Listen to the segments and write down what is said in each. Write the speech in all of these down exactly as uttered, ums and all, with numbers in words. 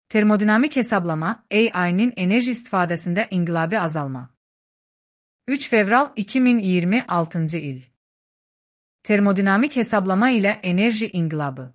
Termodinamik hesablama, A I'nin enerji istifadesinde inqilabi azalma. üç fevral iki min iyirmi altıncı il. Termodinamik hesablama ile enerji inqilabı.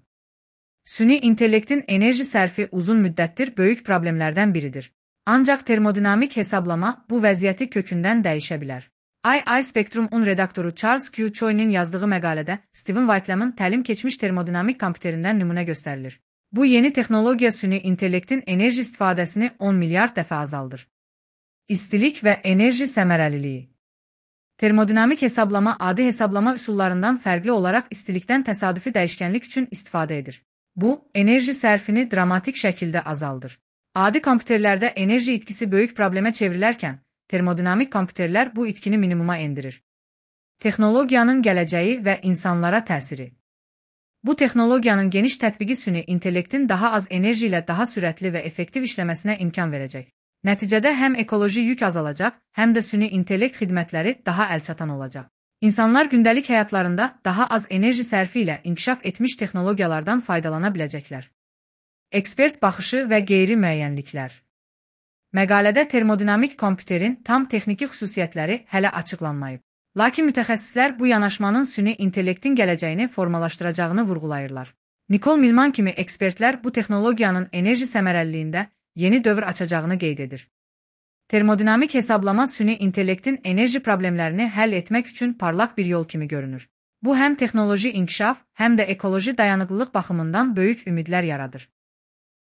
Süni intellektin enerji sərfi uzun müddətdir böyük problemlərdən biridir. Ancaq termodinamik hesablama bu vəziyyəti kökündən dəyişə bilər. I I Spectrum-un redaktoru Charles Q. Choi'nin yazdığı məqalədə Stephen Whitelam'ın təlim keçmiş termodinamik kompüterindən nümunə göstərilir. Bu yeni texnologiya süni intellektin enerji istifadəsini on milyard dəfə azaldır. İstilik və enerji səmərəliliyi. Termodinamik hesablama adi hesablama üsullarından fərqli olaraq istilikdən təsadüfi dəyişkənlik üçün istifadə edir. Bu, enerji sərfini dramatik şəkildə azaldır. Adi kompüterlərdə enerji itkisi böyük problemə çevrilərkən, termodinamik kompüterlər bu itkini minimuma endirir. Texnologiyanın gələcəyi və insanlara təsiri. Bu texnologiyanın geniş tətbiqi süni intellektin daha az enerji ilə daha sürətli və effektiv işləməsinə imkan verəcək. Nəticədə həm ekoloji yük azalacaq, həm də süni intellekt xidmətləri daha əlçatan olacaq. İnsanlar gündəlik həyatlarında daha az enerji sərfi ilə inkişaf etmiş texnologiyalardan faydalana biləcəklər. Ekspert baxışı və qeyri-müəyyənliklər. Məqalədə termodinamik kompüterin tam texniki xüsusiyyətləri hələ açıqlanmayıb. Lakin mütəxəssislər bu yanaşmanın süni intellektin gələcəyini formalaşdıracağını vurğulayırlar. Nicole Milman kimi ekspertlər bu texnologiyanın enerji səmərəliliyində yeni dövr açacağını qeyd edir. Termodinamik hesablama süni intellektin enerji problemlərini həll etmək üçün parlaq bir yol kimi görünür. Bu həm texnoloji inkişaf, həm də ekoloji dayanıqlılıq baxımından böyük ümidlər yaradır.